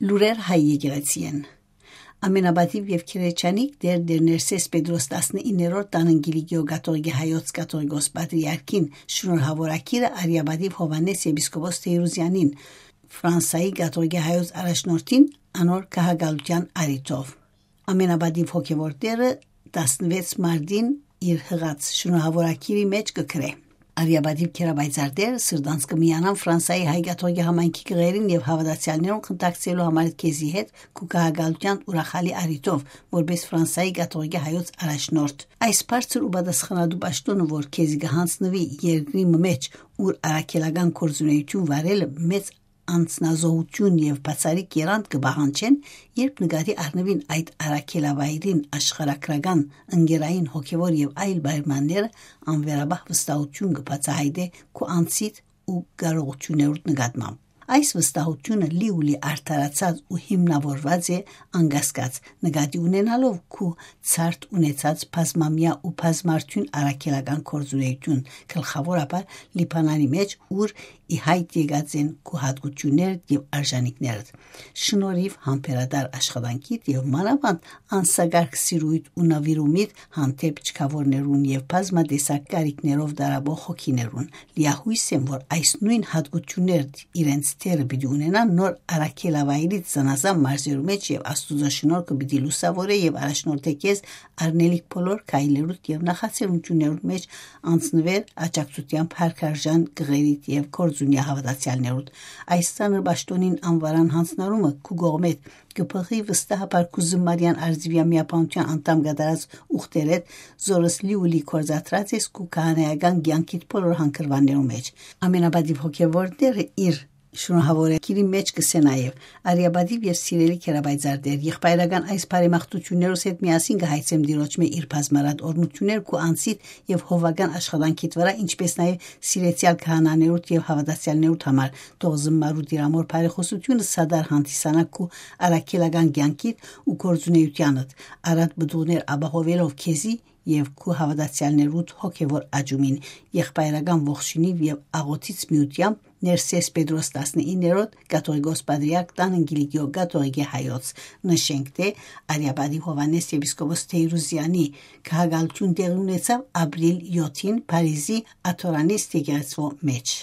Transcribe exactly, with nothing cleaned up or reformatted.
Լուրեր հայ եկեղեցիէն։ Ամենապատիւ եւ քերեչանիկ դեր դեր Ներսես Պետրոս տասնիններորդ տանն Կիլիկիո կաթողիկե հայոց կաթողիկոս պատրիարքին շնորհավորագիրը արիապատիվ Հովհաննէս եպիսկոպոս Թեյրուզեանին, Ֆրանսայի կաթողիկե հայոց առաջնորդին, անոր գահակալութեան առիթով։ Ամենապատիւ հոգեվոր դերը տասնվեց մարտին իր յղած շնորհավորագիրի մէջ կը գրէ. «Արիապատիվ քերապայծառ դեր սրտանց կը միանան Ֆրանսայի հայ կաթողիկե համայնքի կղերին եւ հաւատացեալներուն խնդակցելու համար քեզի հետ քու գահակալութեան ուրախալի առիթով, որպէս Ֆրանսայի կաթողիկե հայոց առաջնորդ։ Այս բարձր ու պատասխանատու պաշտօնը, որ քեզի կը յանձնուի երկրի մը մէջ, ուր առաքելական գործունեութիւն վարելը մեծ անձնազոհութիւն եւ բացառիկ եռանդ կը պահանջեն, երբ նկատի առնուին այդ առաքելավայրին աշխարհագրական, ընկերային, հոգեվոր եւ այլ պայմանները, անվերապահ վստահութիւն կը բացայայտէ քու անձիդ ու կարողութիւններուդ նկատմամբ։ Այս վստահութիւնը լիուլի արդարացած ու հիմնաւորուած է անկասկած, նկատի ունենալով քու ցարդ ունեցած բազմամեայ ու բազմարդիւն առաքելական գործունեութիւն, գլխաւորաբար Լիբանանի մէջ, ուր ի հայտ եկած են քու յատկութիւններդ եւ արժանիքներդ։ Շնորհիւ համբերատար աշխատանքիդ եւ մանաւանդ անսակարկ սիրոյդ ու նուիրումիդ հանդէպ չքաւորներուն եւ բազմատեսակ կարիքներով տառապող հոգիներուն։ Լիահոյս եմ, որ այս նոյն յատկութիւններդ իրենց դերը պիտի ունենան նոր առաքելավայրիդ զանազան մարզերու մէջ եւ Աստուծոյ շնորհքը պիտի լուսաւորէ եւ առաջնորդէ քեզ առնելիք բոլոր քայլերուդ եւ նախաձեռնութիւններուդ մէջ անցնուեր աջակցութեամբ հարկարժան կղերիդ եւ կորձունյա հաւատացեալներուդ։ Այս ծանր պաշտօնին անվարան յանձնարումը քու կողմէդ կը բղի վստահաբար քու զմարեան արծիվեան միաբանութեան անդամ կատարած ուխտերէդ, զորս լիուլի կործադրած ես քու քահանայական կեանքիդ բոլոր հանգրուաններու մէջ։ Ամենապատիւ հոգեվոր դերը իր շնորհավորագիրի մէջ կսե նաեւ. «Արիապատիվ եւ սիրելի քերապայծառ դեր, եղբայրական այս բարեմաղթութիւններուս հետ միասին կը հայցեմ Տիրոջմէ իր բազմարատ օրհնութիւններ քու անձիդ եւ հովական աշխատանքիդ վրայ, ինչպէս նաեւ սիրեցեալ քահանաներուդ եւ հաւատացեալներուդ համար, թող զմարու Տիրամօր բարեխօսութիւնը սադար հանդիսանայ քու առաքելական կեանքիդ ու գործունեութեանդ, առատ պտուղներ ապահովելով քեզի եւ քու հաւատացեալներուդ հոգեվոր աճումին, եղբայրական ողջունիւ եւ աղօթից միութեամբ Ներսես Պետրոս տասնիններորդ կաթողիկոս պատրիարք տան Կիլիկիո կաթողիկե հայոց»։ Նշենք թէ Արիապատիվ Հովհաննէս եպիսկոպոս Թեյրուզեանի գահակալութիւն տեղի ունեցաւ ապրիլ յոթին Փարիզի Աթորանիս եկեղեցւոյ մէջ։